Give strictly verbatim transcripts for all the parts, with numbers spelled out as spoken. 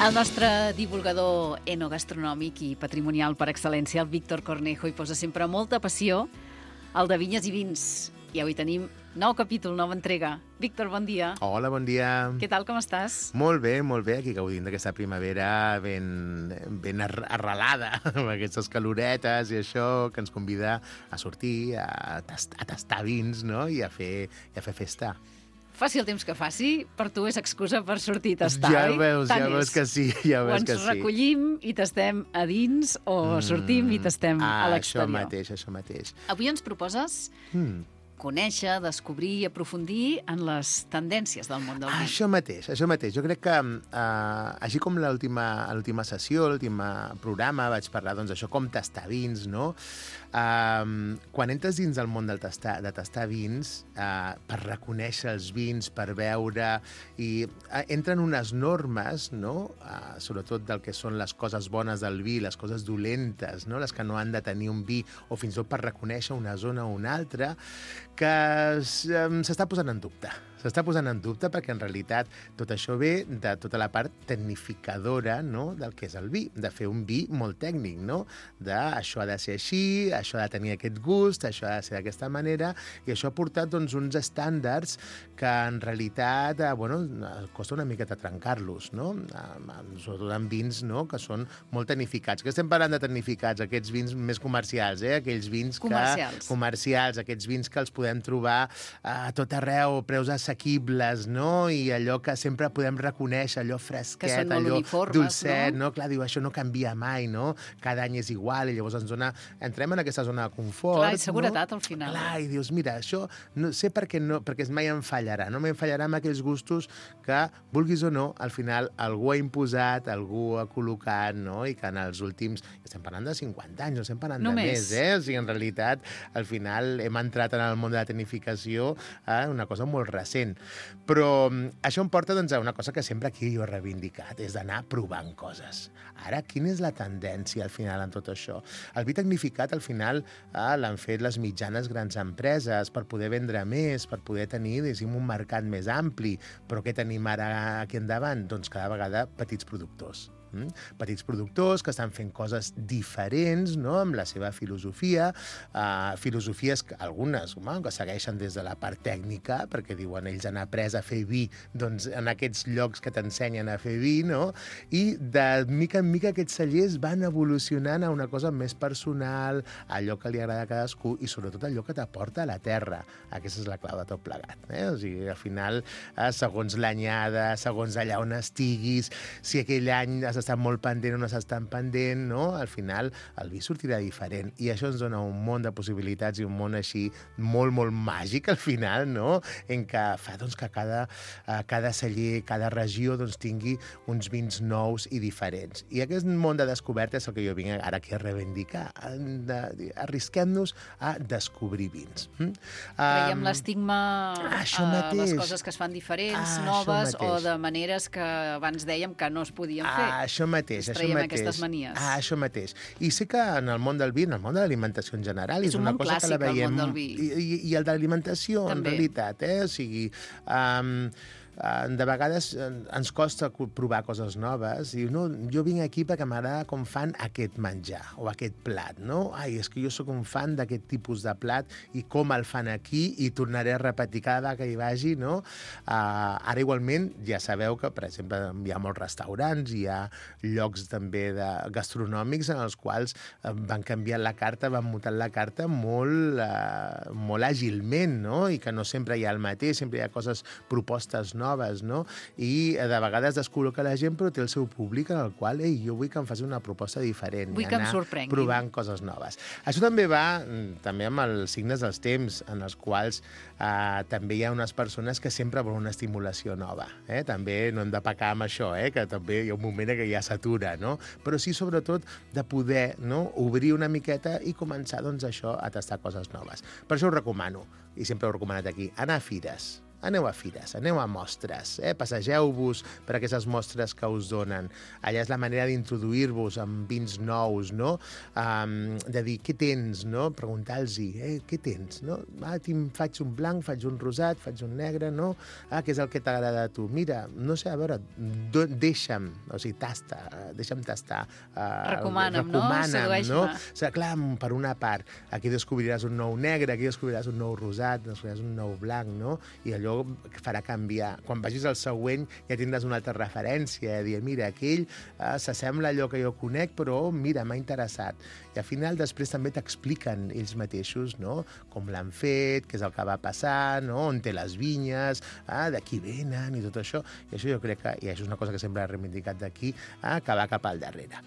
El nostre divulgador enogastronòmic i patrimonial per excel·lència, el Víctor Cornejo, hi posa sempre molta passió al de vinyes i vins. I avui tenim nou capítol, nova entrega. Víctor, bon dia. Hola, bon dia. Què tal, com estàs? Molt bé, molt bé. Aquí gaudint d'aquesta primavera ben, ben arrelada, amb aquestes caloretes i això que ens convida a sortir, a, tast a tastar vins, no? I a fer, i a fer festa. Faci el temps que faci, per tu és excusa per sortir a tastar, ja oi? Veus, Tant ja és. veus que sí, ja veus que sí. O ens recollim i tastem a dins, o mm. sortim i tastem ah, a l'exterior. Això mateix, això mateix. Avui ens proposes Mm. conèixer, descobrir i aprofundir en les tendències del món del vi. Això mateix, això mateix. Jo crec que, eh, així com l'última sessió, l'últim programa, vaig parlar, doncs, això, com tastar vins, no? Uh, quan entres dins del món del tastar, de tastar vins, uh, per reconèixer els vins, per veure, i uh, entren unes normes, no? Uh, sobretot del que són les coses bones del vi, les coses dolentes, no? Les que no han de tenir un vi, o fins i tot per reconèixer una zona o una altra, que s'està posant en dubte. S'està posant en dubte perquè, en realitat, tot això ve de tota la part tecnificadora, no?, del que és el vi, de fer un vi molt tècnic, no?, de això ha de ser així, això ha de tenir aquest gust, això ha de ser d'aquesta manera, i això ha portat, doncs, uns estàndards que, en realitat, eh, bueno, costa una miqueta trencar-los, no?, sobretot en vins, no?, que són molt tecnificats. Que estem parlant de tecnificats, aquests vins més comercials, eh?, aquells vins que... Comercials. Comercials, aquests vins que els podem trobar a tot arreu, preus assequibles, no?, i allò que sempre podem reconèixer, allò fresquet, allò dolcet, no? no? Clar, diu, això no canvia mai, no? Cada any és igual, i llavors ens dona... entrem en aquesta zona de confort. Clar, i seguretat, no? al final. Clar, i dius, mira, això no sé per què no, perquè mai em fallarà, no em fallarà amb aquells gustos que, vulguis o no, al final algú ha imposat, algú ha col·locat, no?, i que en els últims... Estem parlant de cinquanta anys, no estem parlant Només. de més, eh? O sigui, en realitat, al final hem entrat en el món de la tecnificació, eh? Una cosa molt recent. Però això em porta, doncs, a una cosa que sempre aquí jo he reivindicat, és d'anar provant coses. Ara, quina és la tendència, al final, en tot això? El vi tecnificat, al final, eh, l'han fet les mitjanes grans empreses per poder vendre més, per poder tenir, diguéssim, un mercat més ampli. Però què tenim ara aquí endavant? Doncs cada vegada petits productors. Mm? Petits productors que estan fent coses diferents, no?, amb la seva filosofia, uh, filosofies que algunes, home, que segueixen des de la part tècnica, perquè diuen ells han après a fer vi, doncs en aquests llocs que t'ensenyen a fer vi, no?, i de mica en mica aquests cellers van evolucionant a una cosa més personal, allò que li agrada a cadascú i sobretot allò que t'aporta a la terra. Aquesta és la clau de tot plegat, eh? O sigui, al final, eh, segons l'anyada, segons allà on estiguis, si aquell any has estat molt pendent o no s'està pendent, no? Al final el vi sortirà diferent i això ens dona un món de possibilitats i un món així molt, molt màgic al final, no? En què fa, doncs, que cada, uh, cada celler, cada regió, doncs, tingui uns vins nous i diferents. I aquest món de descoberta és el que jo vinc ara aquí a reivindicar. Arrisquem-nos a descobrir vins. Mm? Traiem um, l'estigma a les mateix. coses que es fan diferents, ah, noves, o de maneres que abans dèiem que no es podien fer. Ah, això mateix, això mateix. aquestes manies. Ah, això mateix. I sé que en el món del vi, en el món de l'alimentació en general, és, és un una món cosa clàssic, que la veiem... el món del vi. I, i, i el de l'alimentació, en realitat, eh? O sigui... Um, de vegades ens costa provar coses noves i no, jo vinc aquí perquè m'agrada com fan aquest menjar o aquest plat, no? Ai, és que jo sóc un fan d'aquest tipus de plat i com el fan aquí i tornaré a repetir cada vegada que hi vagi, no? Uh, ara igualment ja sabeu que, per exemple, hi ha molts restaurants, hi ha llocs també de gastronòmics en els quals van canviar la carta, van mutar la carta molt, uh, molt àgilment, no? I que no sempre hi ha el mateix, sempre hi ha coses, propostes noves, noves, no? I de vegades descol·loca la gent, però té el seu públic en el qual, ei, jo vull que em faci una proposta diferent. Vull que em sorprengui. Provant coses noves. Això també va també amb els signes dels temps, en els quals eh, també hi ha unes persones que sempre volen una estimulació nova. Eh? També no hem de pecar amb això, eh? Que també hi ha un moment que ja s'atura, no? Però sí, sobretot, de poder, no?, obrir una miqueta i començar, doncs, això, a tastar coses noves. Per això us recomano, i sempre ho he recomanat aquí, anar a fires. aneu a fires, aneu a mostres, eh? Passegeu-vos per aquestes mostres que us donen. Allà és la manera d'introduir-vos amb vins nous, no? Um, de dir, què tens, no? Preguntar-los-hi, eh, què tens, no? Ah, tinc, faig un blanc, faig un rosat, faig un negre, no? Ah, què és el que t'agrada a tu? Mira, no sé, a veure, do, deixa'm, o sigui, tasta, deixa'm tastar. Uh, Recomana'm, no? Sedueix-me. No? O sigui, clar, per una part, aquí descobriràs un nou negre, aquí descobriràs un nou rosat, descobriràs un nou blanc, no? I allò farà canviar. Quan vagis al següent ja tindràs una altra referència, dir, mira, aquell eh, s'assembla a allò que jo conec, però mira, m'ha interessat. I al final després també t'expliquen ells mateixos, no? Com l'han fet, què és el que va passar, no? On té les vinyes, ah, d'aquí venen i tot això. I això jo crec que, i això és una cosa que sempre he reivindicat d'aquí, ah, que va cap al darrere.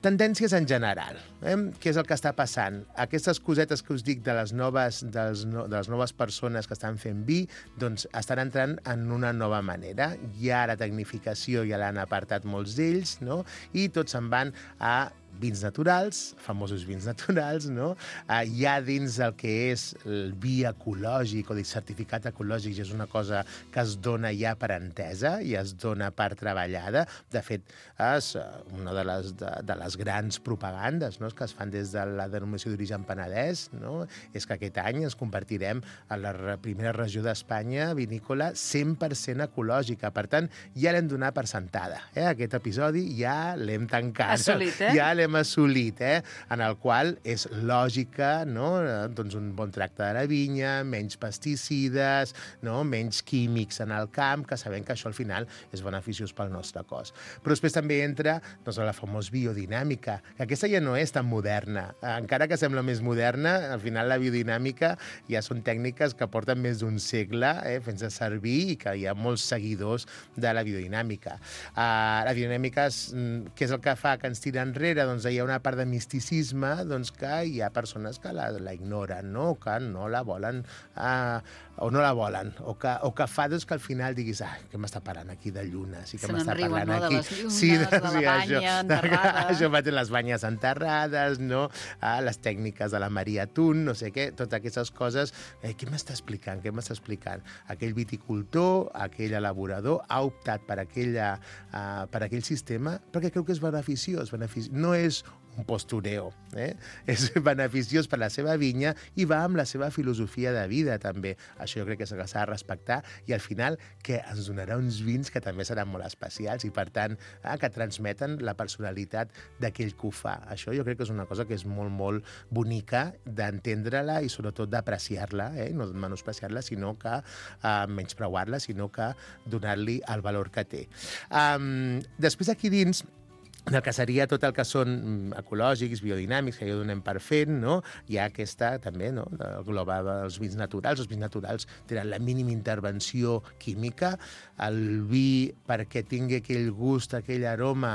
Tendències en general. Eh? Què és el que està passant? Aquestes cosetes que us dic de les noves, dels, no, de les noves persones que estan fent vi, doncs estan entrant en una nova manera. Ja la tecnificació ja l'han apartat molts d'ells, no? I tots se'n van a vins naturals, famosos vins naturals, no? Uh, ja dins del que és el vi ecològic o el certificat ecològic ja és una cosa que es dona ja per entesa i es dona per treballada. De fet, és una de les, de, de les grans propagandes, no? Que es fan des de la denominació d'origen Penedès, no? És que aquest any ens convertirem en la primera regió d'Espanya vinícola cent per cent ecològica. Per tant, ja l'hem donat per sentada. Eh? Aquest episodi ja l'hem tancat. Assolit, eh? Ja l'hem assolit, eh? En el qual és lògica, no? Doncs un bon tracte de la vinya, menys pesticides, no? Menys químics en el camp, que sabem que això al final és beneficiós pel nostre cos. Però després també entra doncs, la famosa biodinàmica, que aquesta ja no és tan moderna. Encara que sembla més moderna, al final la biodinàmica ja són tècniques que porten més d'un segle eh, fent-se servir i que hi ha molts seguidors de la biodinàmica. Uh, la biodinàmica, és, què és el que fa que ens tira enrere? Doncs hi ha una part de misticisme doncs, que hi ha persones que la, la ignoren, no? Que no la volen, uh, o no la volen, o que, o que fa doncs, que al final diguis, ah, què m'està parlant aquí de lluna? Sí que m'està parlant no? aquí. De les llunes, sí, de, de la sí, banya això, enterrada. Això mateix, les banyes enterrades, no? Ah, les tècniques de la Maria Tun, no sé què, totes aquestes coses. Eh, què m'està explicant? Què m'està explicant? Aquell viticultor, aquell elaborador, ha optat per, aquella, uh, per aquell sistema perquè creu que és beneficiós. Benefici... No és un postureo, eh? És beneficiós per la seva vinya i va amb la seva filosofia de vida, també. Això jo crec que s'ha de respectar i al final que ens donarà uns vins que també seran molt especials i, per tant, eh, que transmeten la personalitat d'aquell que ho fa. Això jo crec que és una cosa que és molt, molt bonica d'entendre-la i sobretot d'apreciar-la, eh? No de menospreciar-la, sinó que eh, menyspreuar-la, sinó que donar-li el valor que té. Um, després aquí dins del que seria tot el que són ecològics, biodinàmics, que ja ho donem per fent, no? Hi ha aquesta, també, no? El global dels vins naturals. Els vins naturals tenen la mínima intervenció química. El vi, perquè tingui aquell gust, aquell aroma,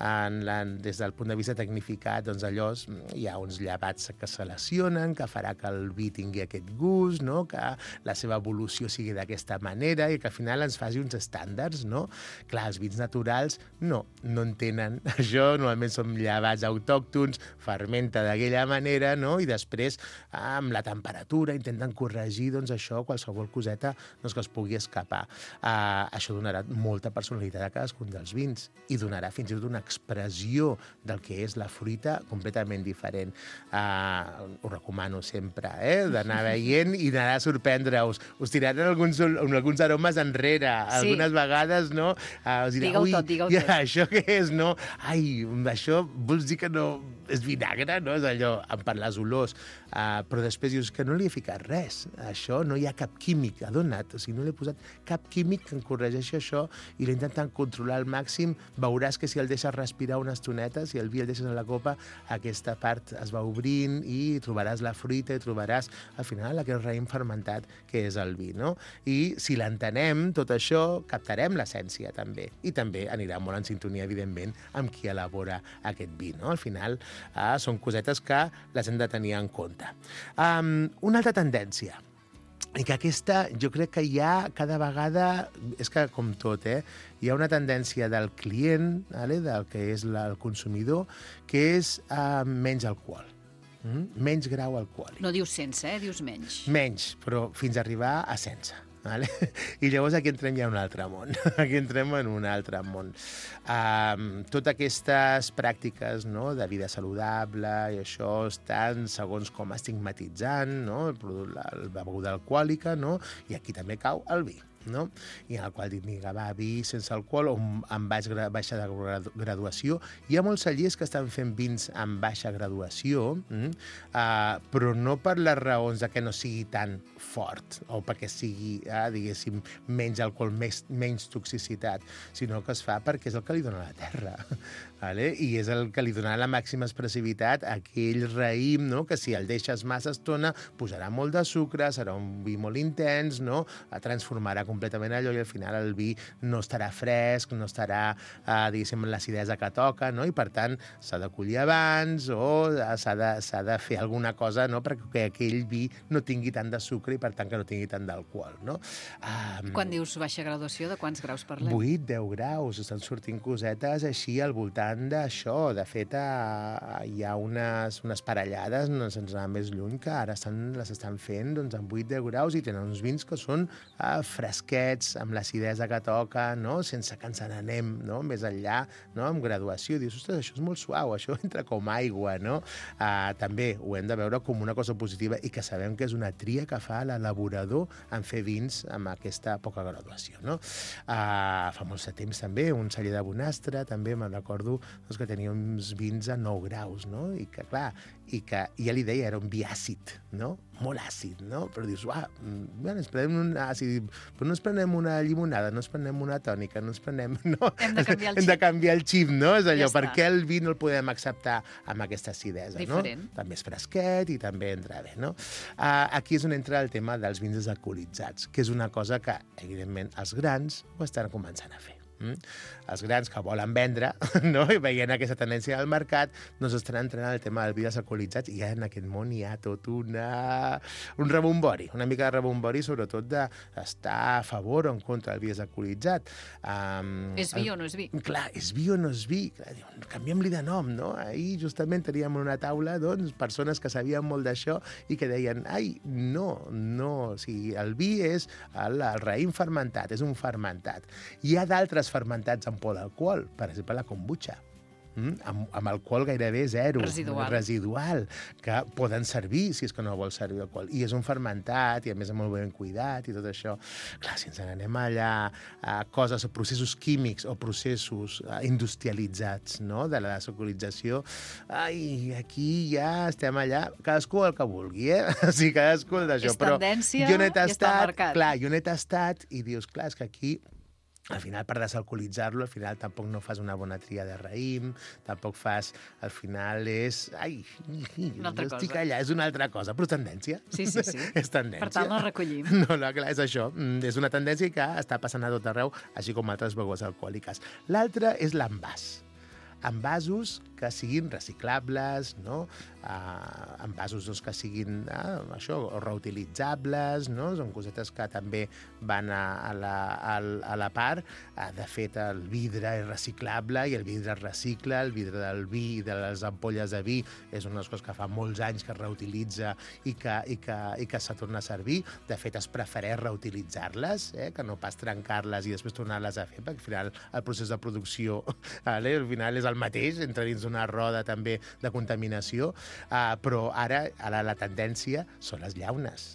en la, des del punt de vista tecnificat, doncs allò, hi ha uns llevats que seleccionen, que farà que el vi tingui aquest gust, no? Que la seva evolució sigui d'aquesta manera i que al final ens faci uns estàndards, no? Clar, els vins naturals no, no en tenen. Això normalment són llevats autòctons, fermenta d'aquella manera, no? I després, amb la temperatura, intenten corregir doncs, això, qualsevol coseta doncs, que es pugui escapar. Uh, això donarà molta personalitat a cadascun dels vins i donarà fins i tot una expressió del que és la fruita completament diferent. Uh, ho recomano sempre, eh? D'anar veient i d'anar a sorprendre-us. Us tiraran alguns, alguns aromes enrere, sí. Algunes vegades, no? Uh, us dirà, digue-ho tot, digue-ho tot. Això què és, no? Ai, això vols dir que no és vinagre, no? És allò, per les olors. Uh, però després dius que no li he ficat res. Això no hi ha cap químic adonat. O sigui, no li he posat cap químic que en corregeixi això i l'he intentat controlar al màxim. Veuràs que si el deixes respirar una estoneta, si el vi el deixes a la copa, aquesta part es va obrint i trobaràs la fruita i trobaràs, al final, aquest raïm fermentat que és el vi, no? I si l'entenem, tot això, captarem l'essència, també. I també anirà molt en sintonia, evidentment, amb qui elabora aquest vi, no? Al final, eh, són cosetes que les hem de tenir en compte. Um, una altra tendència, i que aquesta jo crec que hi ha cada vegada, és que com tot, eh, hi ha una tendència del client, vale, del que és la, el consumidor, que és uh, menys alcohol. Mm? Menys grau alcohòlic. No dius sense, eh? Dius menys. Menys, però fins a arribar a sense. Vale? I llavors aquí entrem ja en un altre món. Aquí entrem en un altre món. Um, totes aquestes pràctiques, no?, de vida saludable i això estan segons com estigmatitzant, no?, el, la, la beguda alcohòlica, no?, i aquí també cau el vi, no? I en el qual dic, vinga, va, vi sense alcohol o amb baix, baixa de graduació. Hi ha molts cellers que estan fent vins amb baixa graduació, mm? uh, però no per les raons de que no sigui tan fort o perquè sigui, uh, diguéssim, menys alcohol, més, menys toxicitat, sinó que es fa perquè és el que li dona la terra. Vale? I és el que li dona la màxima expressivitat a aquell raïm, no?, que si el deixes massa estona posarà molt de sucre, serà un vi molt intens, no?, transformarà completament allò i al final el vi no estarà fresc, no estarà, eh, diguéssim, l'acidesa que toca, no?, i per tant s'ha de collir abans o s'ha de, s'ha de fer alguna cosa, no?, perquè aquell vi no tingui tant de sucre i per tant que no tingui tant d'alcohol, no? Um, Quan dius baixa graduació, de quants graus parlem? vuit, deu graus, estan sortint cosetes així al voltant d'això. De fet, a, hi ha unes, unes parellades, no se'ns anar més lluny, que ara estan, les estan fent doncs, amb vuit deu graus i tenen uns vins que són eh, fresquets, amb l'acidesa que toca, no?, sense que ens n'anem, no?, més enllà, no?, amb graduació. Dius, ostres, això és molt suau, això entra com aigua, no? Uh, també ho hem de veure com una cosa positiva i que sabem que és una tria que fa l'elaborador en fer vins amb aquesta poca graduació, no? Uh, fa molt de temps també, un celler de Bonastre, també me'n recordo doncs, que tenia uns vins a nou graus, no? I que, clar, i que ja li deia, era un vi àcid, no? Molt àcid, no? Però dius, uah, bueno, ens prenem un àcid, però no ens prenem una llimonada, no ens prenem una tònica, no ens prenem... No? Hem de canviar el Hem xip. de canviar el xip, no? És allò, Ja per està. què el vi no el podem acceptar amb aquesta acidesa, Diferent. no? També és fresquet i també entra bé, no? Uh, aquí és on entra el tema dels vins desalcoholitzats, que és una cosa que, evidentment, els grans ho estan començant a fer. Mm? Els grans que volen vendre, no?, i veient aquesta tendència al mercat, doncs estan entrant al tema dels vi desalcoholitzats i ja en aquest món hi ha tot una... un rebombori, una mica de rebombori, sobretot d'estar a favor o en contra del vi desalcoholitzat. Um, És vi o no és vi? Clar, és vi o no és vi? Clar, diuen, canviem-li de nom, no? Ahir justament teníem una taula, doncs, persones que sabien molt d'això i que deien, ai, no, no, o sigui, el vi és el, el raïm fermentat, és un fermentat. Hi ha d'altres fermentats amb por d'alcohol, per exemple, la kombucha. Mm? Amb, amb alcohol gairebé zero, Residual. residual, que poden servir si és que no vols servir alcohol. I és un fermentat, i a més és molt ben cuidat i tot això. Clar, si ens n'anem allà a coses, a processos químics o processos uh, industrialitzats, no?, de la desalcoholització, ai, aquí ja estem allà, cadascú el que vulgui, eh? O sigui, cadascú el d'això. És tendència jo no he i està tastat, marcat. clar, jo no he tastat i dius, clar, és que aquí al final, per desalcoholitzar-lo, al final tampoc no fas una bona tria de raïm, tampoc fas... Al final és... Ai, Una altra estic cosa. allà, és una altra cosa, però és tendència. Sí, sí, sí. És tendència. Per tant, la recollim. No, no, clar, és això. Mm, És una tendència que està passant a tot arreu, així com altres begudes alcohòliques. L'altra és l'envàs. Envasos que siguin reciclables, no? Uh, envasos doncs, que siguin uh, això, reutilitzables, no? Són cosetes que també van a, a, la, a, a la part. Uh, de fet, el vidre és reciclable i el vidre es recicla, el vidre del vi i de les ampolles de vi és una de les coses que fa molts anys que es reutilitza i que, i que, i que se torna a servir. De fet, es prefereix reutilitzar-les, eh? Que no pas trencar-les i després tornar-les a fer, perquè al final el procés de producció vale? Al final és el mateix, entra dins d'una roda també de contaminació, uh, però ara, ara la tendència són les llaunes.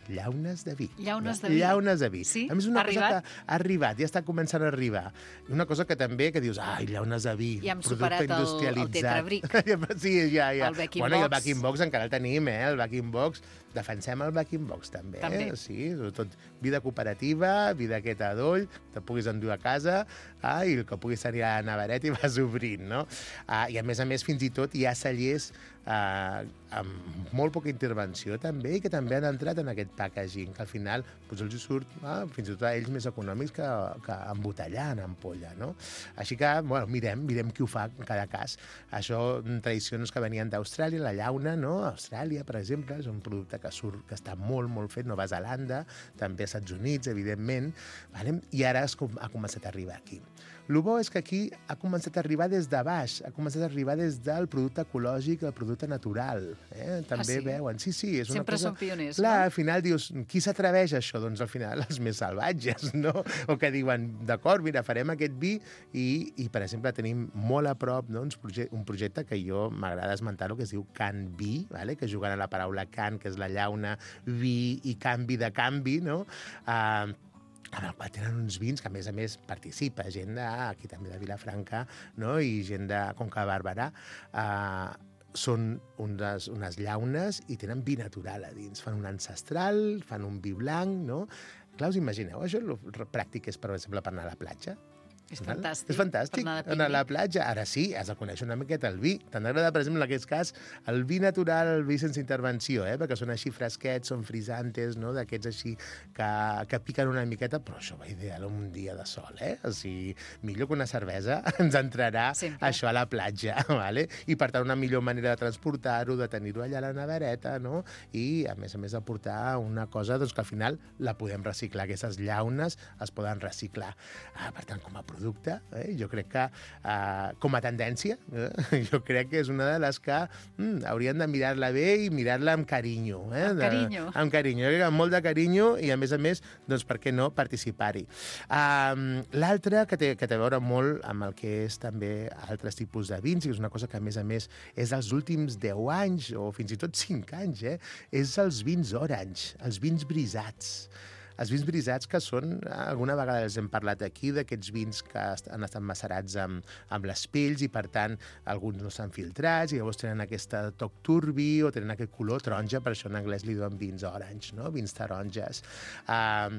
Llaunes de vi. Llaunes de vi. Llaunes de vi. Sí? A més, una Ha arribat? cosa que ha arribat, ja està començant a arribar. Una cosa que també, que dius, ai, llaunes de vi, Ja hem producte superat el- el industrialitzat. tetrabric. Sí, ja, ja. El back-in bueno, i el box. back-in box encara el tenim, eh? El back-in box. Defensem el back-in box, també. També. Eh? Sí, sobretot vida cooperativa, vida aquesta d'oll, te puguis endur a casa, ah, i el que puguis tenir a la nevereta i vas obrint, no? Ah, I a més a més, fins i tot hi ha cellers ah, amb molt poca intervenció també i que també han entrat en aquest packaging, que al final doncs, els surt ah, fins i tot a ells més econòmics que, que embotellar en ampolla, no? Així que, bueno, mirem, mirem qui ho fa en cada cas. Això, tradicions que venien d'Austràlia, la llauna, no? Austràlia, per exemple, és un producte que surt, que està molt, molt fet, Nova Zelanda, també als Estats Units, evidentment, vale? I ara es, com- ha començat a arribar aquí. El bo és que aquí ha començat a arribar des de baix, ha començat a arribar des del producte ecològic al producte natural. Eh? També ah, sí? veuen. Sí, sí, és una Sempre cosa... són pioners, Clar, no? al final dius, qui s'atreveix a això? Doncs al final els més salvatges, no? O que diuen, d'acord, mira, farem aquest vi i, i per exemple, tenim molt a prop, no? un projecte que jo m'agrada esmentar-lo, que es diu Can Vi, vale? Que jugant a la paraula can, que és la llauna, vi i canvi de canvi, no? Uh, amb el qual tenen uns vins que, a més a més, participa gent de, aquí també de Vilafranca, no? I gent de Conca de Barberà. Uh, són unes, unes llaunes i tenen vi natural a dins. Fan un ancestral, fan un vi blanc, no? Clar, us imagineu, això el pràctic és, per exemple, per anar a la platja? És fantàstic. És fantàstic, anar, anar a la platja. Ara sí, has de conèixer una miqueta el vi. T'han d'agradar, per exemple, en aquest cas, el vi natural, el vi sense intervenció, eh? Perquè són així fresquets, són frisantes, no? D'aquests així que, que piquen una miqueta, però això va ideal un dia de sol, eh? O sigui, millor que una cervesa ens entrarà Sempre. Això a la platja, vale? I per tant una millor manera de transportar-ho, de tenir-ho allà a la nevereta, no? I, a més a més, de portar una cosa doncs, que al final la podem reciclar. Aquestes llaunes es poden reciclar. Ah, per tant, com a producte, eh, jo crec que eh, com a tendència, eh, jo crec que és una de les que mm, haurien de mirar-la bé i mirar-la amb carinyo. Eh, amb de, carinyo. Amb carinyo, amb molt de carinyo i, a més a més, doncs, per què no participar-hi. Um, L'altre, que té, que té a veure molt amb el que és també altres tipus de vins, i és una cosa que, a més a més, és dels últims deu anys, o fins i tot cinc anys, eh, és els vins orange, els vins brisats. Els vins brisats, que són, alguna vegada els hem parlat aquí, d'aquests vins que han estat macerats amb, amb les pells i, per tant, alguns no estan filtrats i llavors tenen aquest toc turbi o tenen aquest color taronja, per això en anglès li diuen vins orange, no? Vins taronges. Uh,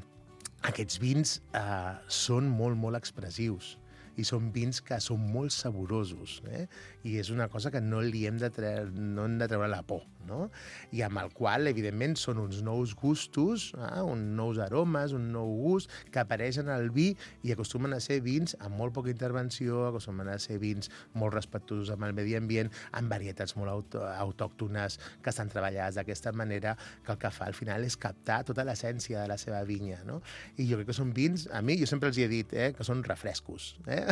aquests vins uh, són molt, molt expressius i són vins que són molt saborosos, eh? I és una cosa que no li hem de treure, no hem de treure la por, no? I amb el qual, evidentment, són uns nous gustos, eh? uns nous aromes, un nou gust, que apareixen al vi i acostumen a ser vins amb molt poca intervenció, acostumen a ser vins molt respectuosos amb el medi ambient, amb varietats molt aut autòctones que estan treballades d'aquesta manera, que el que fa al final és captar tota l'essència de la seva vinya, no? I jo crec que són vins, a mi, jo sempre els hi he dit, eh? Que són refrescos, eh?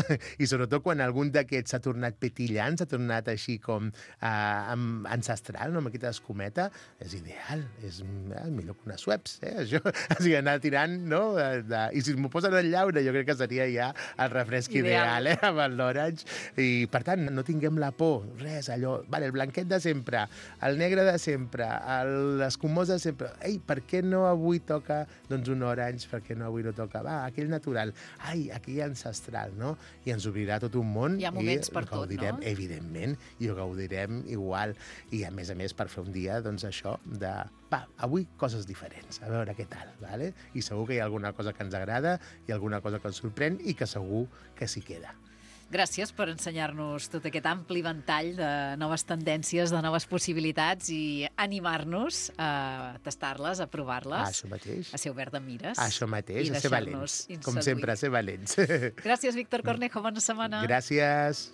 I sobretot quan algun d'aquests s'ha tornat petillant, s'ha tornat així com eh, ancestral, no? Amb aquesta escumeta, és ideal, és eh, millor que unes Schweppes, eh? Això, o sigui, anar tirant, no? De, de... I si m'ho posen en llauna, jo crec que seria ja el refresc ideal, ideal eh? Amb l'orange. I, per tant, no tinguem la por, res, allò, vale, el blanquet de sempre, el negre de sempre, l'escumós de sempre, ei, per què no avui toca, doncs, un orange, per què no avui no toca, va, aquell natural, ai, aquell ancestral, no? I ens obrirà tot un món. Hi ha moments i per tot, gaudirem, no? Evidentment, i ho gaudirem igual. I, a més a més, per fer un dia, doncs, això de... Va, avui coses diferents, a veure què tal, ¿vale? I segur que hi ha alguna cosa que ens agrada, i alguna cosa que ens sorprèn, i que segur que s'hi queda. Gràcies per ensenyar-nos tot aquest ampli ventall de noves tendències, de noves possibilitats i animar-nos a tastar-les, a provar-les. Ah, això mateix. A ser obert de mires. Això mateix, a ser valents. Com sempre, a ser valents. Gràcies, Víctor Cornejo. Bona setmana. Gràcies.